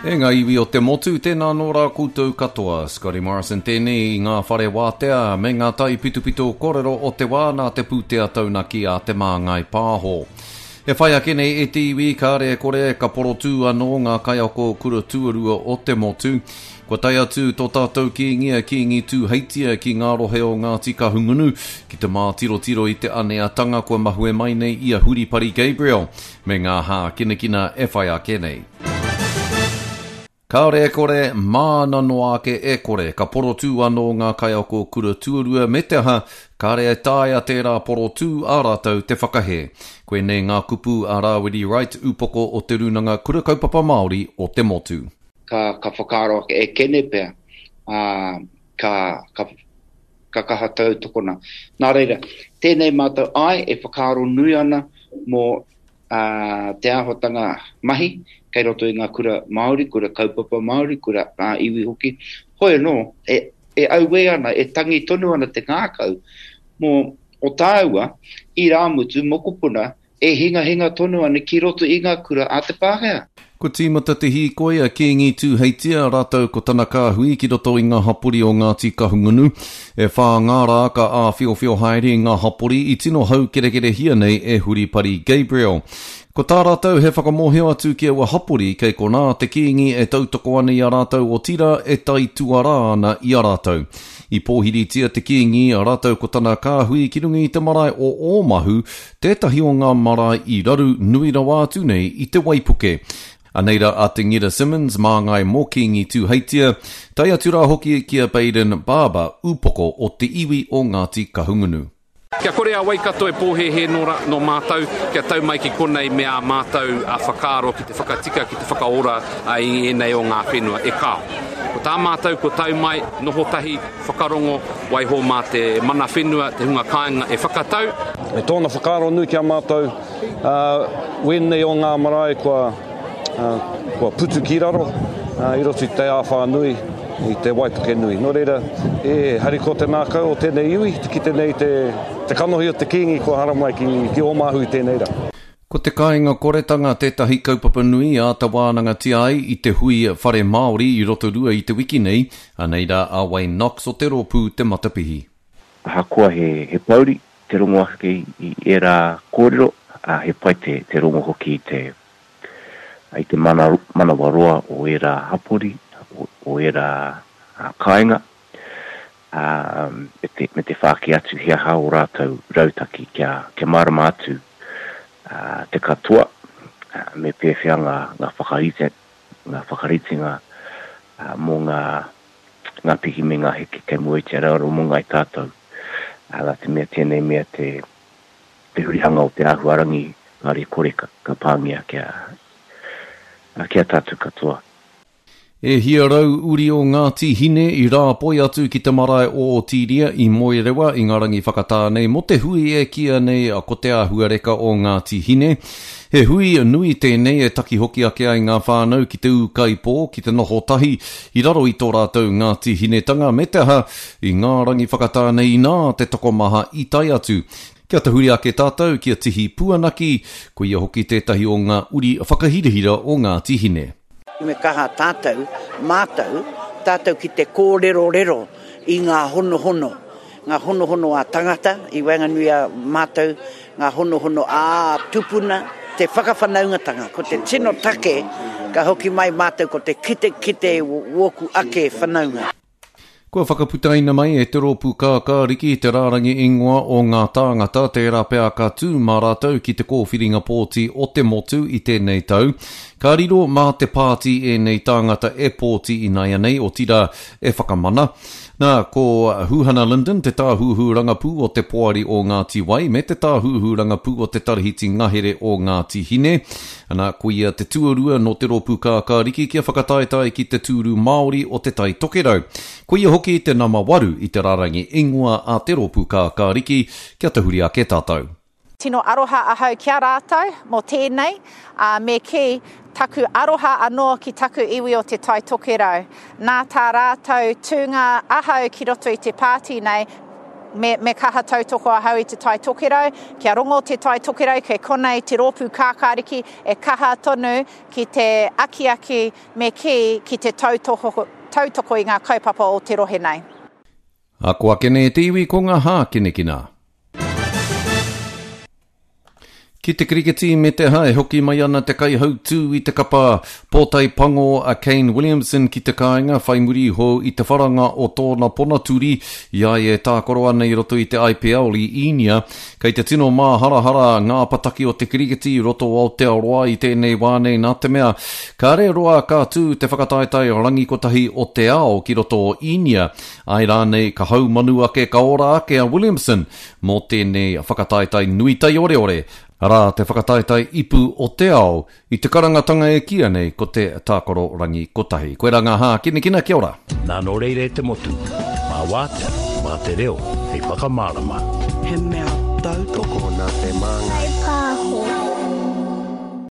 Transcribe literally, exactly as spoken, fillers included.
E ngā iwi o te motu, tēnā nō rā koutou katoa. Scotty Morrison tēnei i ngā whare wātea me ngā taipitopito kōrero o te wā nā te pūtea taunaki a Te Māngai Pāho. E whai ake nei e te iwi, kāre e kore ka porotū anō ngā kaiako kura tuarua o te motu. Kua tae atu tō tātou kīngi a Kīngi Tūheitia ki ngā rohe o Ngāti Kahungunu ki te mātirotiro i te aneatanga kua mahue mai nei i a Huripari Gabriel me ngā hākinakina e whai ake nei. Kāore e kore, māna noa ake e kore, ka porotū anō ngā kaiako kura tuarua me te aha, kāre e taea tērā porotū a rātou te whakahē. Koinei ngā kupu a Rāwiri Wright, upoko o Te Rūnanga Kura Kaupapa Māori o te motu. Ka, ka whakaaro ake e kene pea, ā, ka, ka, ka kaha tautokona. Nā reira, tēnei mātou ai e whakaaro nui ana mō ā, te āhuatanga mahi kei roto i ngā kura Māori, kura kaupapa Māori, kura ā-iwi hoki. Hoi anō, e, e auē ana, e tangi tonu ana te ngākau mō o tāua irāmutu mokopuna e hingahinga tonu ana ki roto i ngā kura a te Pākehā. Kua tīmata te hīkoi a Kīngi Tūheitia rātou ko tana kāhui ki roto i ngā hapori o Ngāti Kahungunu. E whā ngā rā ka āwhiowhio haere i ngā hapori i tino haukerekerehia nei e Huripari Gabriel. Ko tā rātou he whakamōhio atu ki aua hapori kei konā te Kīngi e tautoko ana i a rātou otirā e taituarā ana i a rātou. I pōhiritia te Kīngi rātou ko tana kāhui ki runga i te marae o Ōmahu, tētahi o ngā marae i raru nui rawa atu nei i te waipuke. Anei rā a Te Ngira Simmons, māngai mō Kīngi Tūheitia, tae atu rā hoki ki a Bayden Barber, upoko o te iwi o Ngāti Kahungunu. Kia kore a Waikato e pōhēhē nō, ra, nō mātou, kia tau mai ki konei me ā mātou a whakaaro ki te whakatika, ki te whakaora a, i ēnei o ngā whenua, e kāo. Ko tā mātou ko tau mai, noho tahi, whakarongo, waiho mā te mana whenua, te hunga kāinga e whakatau. E tōna whakaaro nui ki a mātou, ā, wēnei o ngā marae kua, ā, kua putu ki raro, ā, i roto i te āwhā nui, i te waipuke nui. Nō reira, e harikoa te ngākau o tēnei iwi, te kite nei te, te kanohi o te Kīngi kua haramai ki, ki Ōmahu i tēnei rā. Ko te kāinga koretanga tētahi kaupapa nui āta wānangatia ai i te hui Whare Māori i Rotorua i te wiki nei, anei rā a Wayne Knox o te rōpū Te Matapihi. Ahakoa he, he pouri te rongo ake i ērā kōrero, ā, he pai te, te rongo hoki i te, i te mana, manawaroa o ērā hapori, o, o ērā kāinga, ā, me te, me te whāki atu he aha ō rātou rautaki kia, kia mārama atu ā, te katoa, ā, me pēwhea ngā, ngā whakarite, ngā whakaritenga ā, mō ngā, ngā piki me ngā heke kei mua i te aroaro mō ngāi tātou. Ā, nā te mea tēnei mea te, te hurihanga o te āhuarangi kāre kore ka, ka pāngia kia, kia tātou katoa. E hia rau uri o Ngāti Hine i rāpoi atu ki te marae o Otiria i Moerewa i ngā rangi whakatā nei mō te hui e kīia nei ko te āhuareka o Ngāti Hine. He hui nui tēnei e taki hoki ake ai ngā whānau ki te ūkaipō, ki te noho tahi i raro i tō rātou Ngāti Hinetanga me te aha i ngā rangi whakatā nei inā te tokomaha i tae atu. Kia tahuri ake tātou ki a Tihi Puanaki, ko ia hoki tētahi o ngā uri whakahirahira o Ngāti Hine. Me kaha tātou, mātou, tātou ki te kōrerorero i ngā honohono, ngā honohono a tangata i waenganui a mātou, ngā honohono a tupuna, te whakawhanaungatanga. Ko te tino take ka hoki mai mātou ko te kite kite wōku ake whanaunga. Kua whakaputaina mai e te rōpū Kākāriki te rārangi ingoa o ngā tāngata tērā pea ka tū mā rātou ki te kōwhiringa pōti o te motu i tēnei tau. Ka riro mā te pāti ēnei tāngata e pōti ināianei, otirā e whakamana. Nā, ko Huhana Lyndon te tāhuhu rangapū o te Poari o Ngāti Wai me te tāhuhu rangapū o te Tarahiti Ngahere o Ngāti Hine. Ana, ko ia te tuarua nō te rōpū Kākāriki kia whakataetae ki te tūru Māori o Te Tai Tokerau. Ko ia hoki te nama waru i te rārangi ingoa a te rōpū Kākāriki, kia tahuri ake tātou. Tino aroha ahau ki a rātou mō tēnei, ā, me kī, taku aroha anō ki taku iwi o Te Tai Tokerau. Nā tā rātou tūnga ahau ki roto i te pāti nei, me, me kaha tautoko ahau i te Tai Tokerau, kia rongo te Tai Tokerau, kei konei te rōpū kākāriki e kaha tonu ki te akiaki me kī ki te tautoko, tautoko i ngā kaupapa o te rohe nei. Ako ake nei te iwi ko ngā hākinakina. Ki te kiriketi me te hae, hoki mai ana te kaihautū i te kapa pōtae pango a Kane Williamson ki te kāinga whai muri iho i te wharanga o tōna ponaturi i a ia e tākaro ana i roto i te I P L i Īnia. Kei te tino māharahara ngā pataki o te kiriketi i roto o Aotearoa i tēnei wā nei nā te mea kāre roa ka tū te whakataetae rangi kotahi o te ao ki roto o Īnia. Ai rānei ka haumanu ake ka ora ake a Williamson mō tēnei whakataetae nui taioreore, arā te whakataetae ipu o te ao i te karangatanga e kīia nei ko te tākaro rangi kotahi. Koe rā ngā hākinakina, kia ora. Nā nō reira e te motu, mā wātea, mā te reo, hei whakamārama. He mea tautoko nā te māngai.